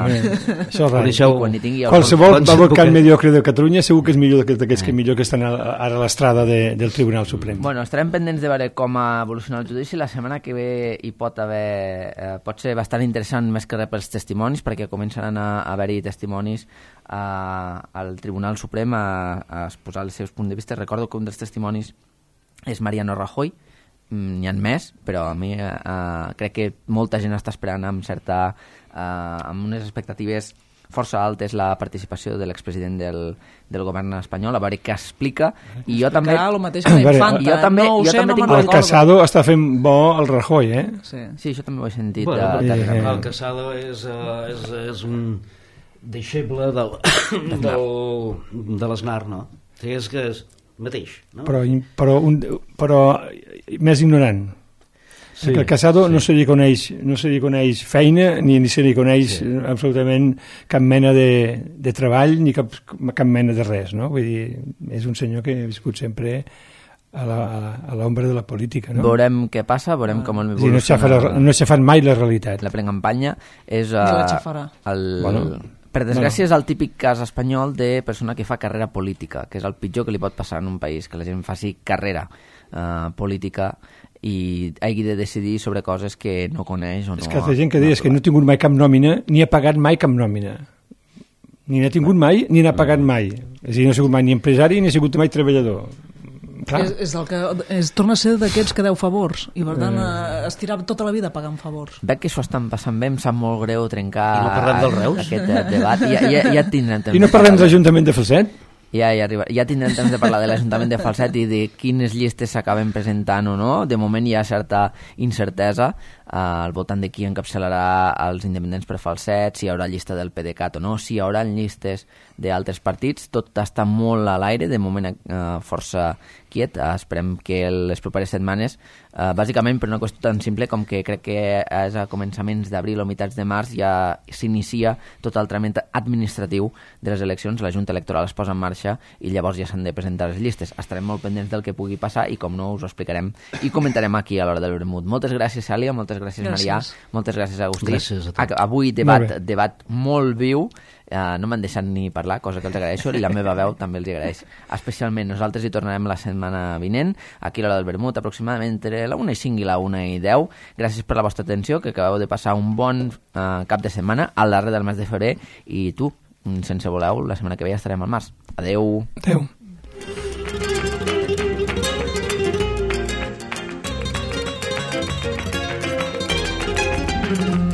això és rar. Quan hi tingui... Qualsevol advocat mediocre de Catalunya segur que és millor d'aquests que millor que estan ara a la l'estrada del Tribunal Suprem. Bueno, estarem pendents de veure com evoluciona el judici. La setmana que ve hi pot ser bastant interessant més que res pels testimonis, perquè començaran a haver-hi testimonis al Tribunal Suprem a exposar els seus punts de vista. Recordo que un dels testimonis és Mariano Rajoy. N'hi ha més, però a mi crec que molta gent està esperant amb unes expectatives força altes la participació de l'expresident del govern espanyol, a veure què explica. I jo també... el mateix que la Infanta. Jo també tinc... El Casado està fent bo el Rajoy, eh? Sí, això també ho he sentit. El Casado és un deixeble de l'Aznar, no? O sigui, és que és mateix, no? Però més ignorant. Sí, el Casado no se li coneix feina ni se li coneix absolutament cap mena de treball ni cap mena de res, no? Vull dir, és un senyor que ha viscut sempre a l'ombra de la política, no? Veurem què passa, veurem com el... No s'ha fet mai la realitat. La precampanya és... Bueno, per desgràcia és el típic cas espanyol de persona que fa carrera política, que és el pitjor que li pot passar en un país, que la gent faci carrera política i hagi de decidir sobre coses que no coneix o no... És que la gent que deia que no ha tingut mai cap nòmina, ni ha pagat mai cap nòmina. Ni n'ha tingut mai, ni n'ha pagat mai. És a dir, no ha sigut mai ni empresari, ni ha sigut mai treballador. Torna a ser d'aquests que deu favors i per tant estirar tota la vida pagant favors. Veig que això estan passant bé, em sap molt greu trencar I no parlem del Reus? Aquest debat. Ja tindrem temps. I no parlem de l'Ajuntament de Falset? Ja tindrem temps de parlar de l'Ajuntament de Falset i de quines llistes s'acaben presentant o no. De moment hi ha certa incertesa al voltant de qui encapçalarà els independents per Falset, si hi haurà llista del PDeCAT o no, si hi haurà llistes d'altres partits. Tot està molt a l'aire, de moment força quiet. Esperem que les properes setmanes, bàsicament per una qüestió tan simple com que crec que és a començaments d'abril o mitats de març ja s'inicia tot el tràmit administratiu de les eleccions, la Junta Electoral es posa en marxa i llavors ja s'han de presentar les llistes. Estarem molt pendents del que pugui passar i com no us ho explicarem i comentarem aquí a l'hora del vermut. Moltes gràcies, Cèlia, moltes gràcies, Marià, moltes gràcies, Agustí. Gràcies a tu. Avui debat molt viu. No m'han deixat ni parlar, cosa que els agraeixo, i la meva veu també els agraeix especialment. Nosaltres hi tornarem la setmana vinent, aquí a l'hora del vermut, aproximadament entre la 1:05 i la 1:10. Gràcies per la vostra atenció, que acabeu de passar un bon cap de setmana al darrer del mes de febrer, i tu, sense voleu, la setmana que ve ja estarem al març. Adeu. Adeu. Mm-hmm.